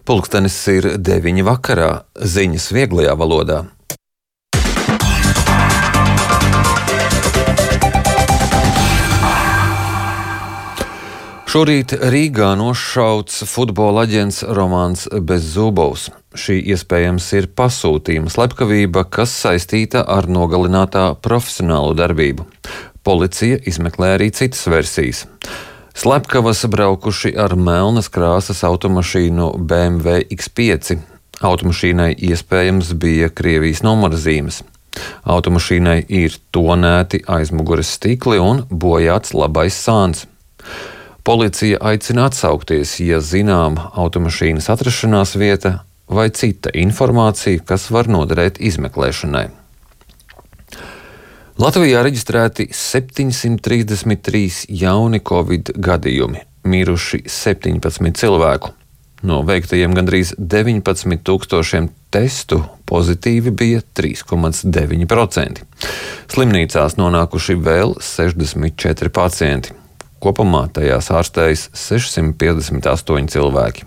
Pulkstenis ir 9 vakarā, ziņas vieglajā valodā. Šorīt Rīgā nošauts futbola aģents Romāns Bezzubovs. Šī iespējams ir pasūtījuma slepkavība, kas saistīta ar nogalinātā profesionālo darbību. Policija izmeklē arī citas versijas. Slepkavas braukuši ar melnas krāsas automašīnu BMW X5. Automašīnai iespējams bija Krievijas numurzīmes. Automašīnai ir tonēti aizmugures stikli un bojāts labais sāns. Policija aicina atsaukties, ja zinām automašīnas atrašanās vieta vai cita informācija, kas var noderēt izmeklēšanai. Latvijā reģistrēti 733 jauni Covid gadījumi, miruši 17 cilvēku. No veiktajiem gandrīz 19,000 testu pozitīvi bija 3,9%. Slimnīcās nonākuši vēl 64 pacienti. Kopumā tajās ārstējas 658 cilvēki.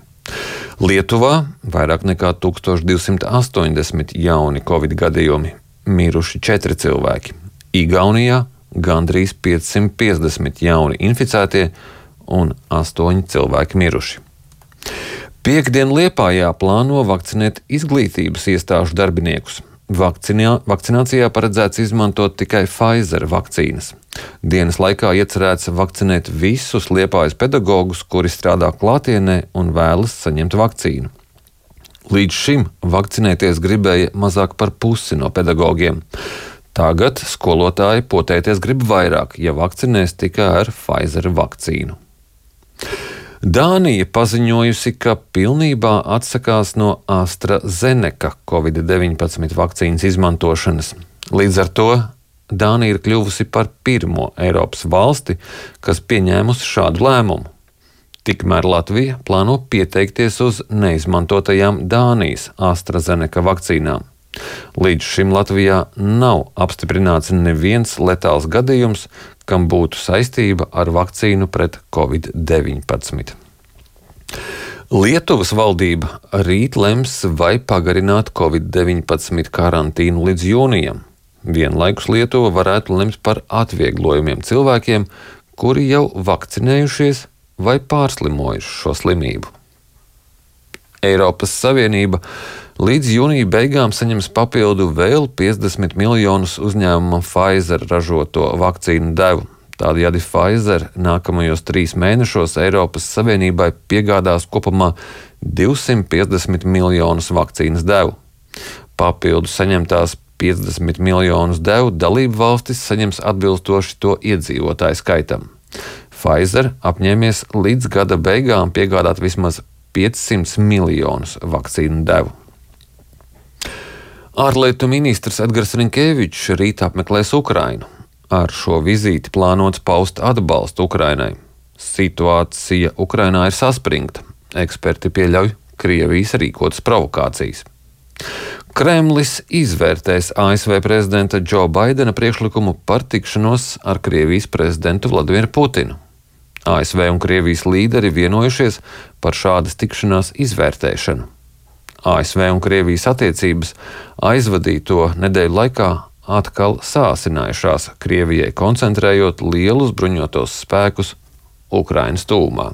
Lietuvā vairāk nekā 1280 jauni Covid gadījumi, miruši 4 cilvēki. Igaunijā gandrīz 550 jauni inficētie un 8 cilvēki miruši. Piektdien Liepājā plāno vakcinēt izglītības iestāžu darbiniekus. Vakcinācijā paredzēts izmantot tikai Pfizer vakcīnas. Dienas laikā iecerēts vakcinēt visus Liepājas pedagogus, kuri strādā klātienē un vēlas saņemt vakcīnu. Līdz šim vakcinēties gribēja mazāk par pusi no pedagogiem. Tagad skolotāji potēties grib vairāk, ja vakcinēs tikai ar Pfizer vakcīnu. Dānija paziņojusi, ka pilnībā atsakās no AstraZeneca Covid-19 vakcīnas izmantošanas. Līdz ar to Dānija ir kļuvusi par pirmo Eiropas valsti, kas pieņēmusi šādu lēmumu. Tikmēr Latvija plāno pieteikties uz neizmantotajām Dānijas AstraZeneca vakcīnām. Līdz šim Latvijā nav apstiprināts neviens letāls gadījums, kam būtu saistība ar vakcīnu pret Covid-19. Lietuvas valdība rīt lems, vai pagarināt Covid-19 karantīnu līdz jūnijam. Vienlaikus Lietuva varētu lemt par atvieglojumiem cilvēkiem, kuri jau vakcinējušies vai pārslimojuši šo slimību. Eiropas Savienība līdz jūnija beigām saņems papildu vēl 50 miljonus uzņēmuma Pfizer ražoto vakcīnu devu. Tādējādi Pfizer nākamajos 3 mēnešos Eiropas Savienībai piegādās kopumā 250 miljonus vakcīnas devu. Papildu saņemtās 50 miljonus devu dalību valstis saņems atbilstoši to iedzīvotāju skaitam. Pfizer apņēmies līdz gada beigām piegādāt vismaz 500 miljonus vakcīnu devu. Ārlietu ministrs Edgars Rinkēvičs rīt apmeklēs Ukrainu. Ar šo vizīti plānots paust atbalstu Ukrainai. Situācija Ukrainā ir saspringta. Eksperti pieļauj Krievijas rīkotas provokācijas. Kremlis izvērtēs ASV prezidenta Džo Baidena priekšlikumu par tikšanos ar Krievijas prezidentu Vladimiru Putinu. ASV un Krievijas līderi vienojušies par šādas tikšanās izvērtēšanu. ASV un Krievijas attiecības aizvadīto nedēļu laikā atkal sāsinājušās, Krievijai koncentrējot lielus bruņotos spēkus Ukrainas tūmā.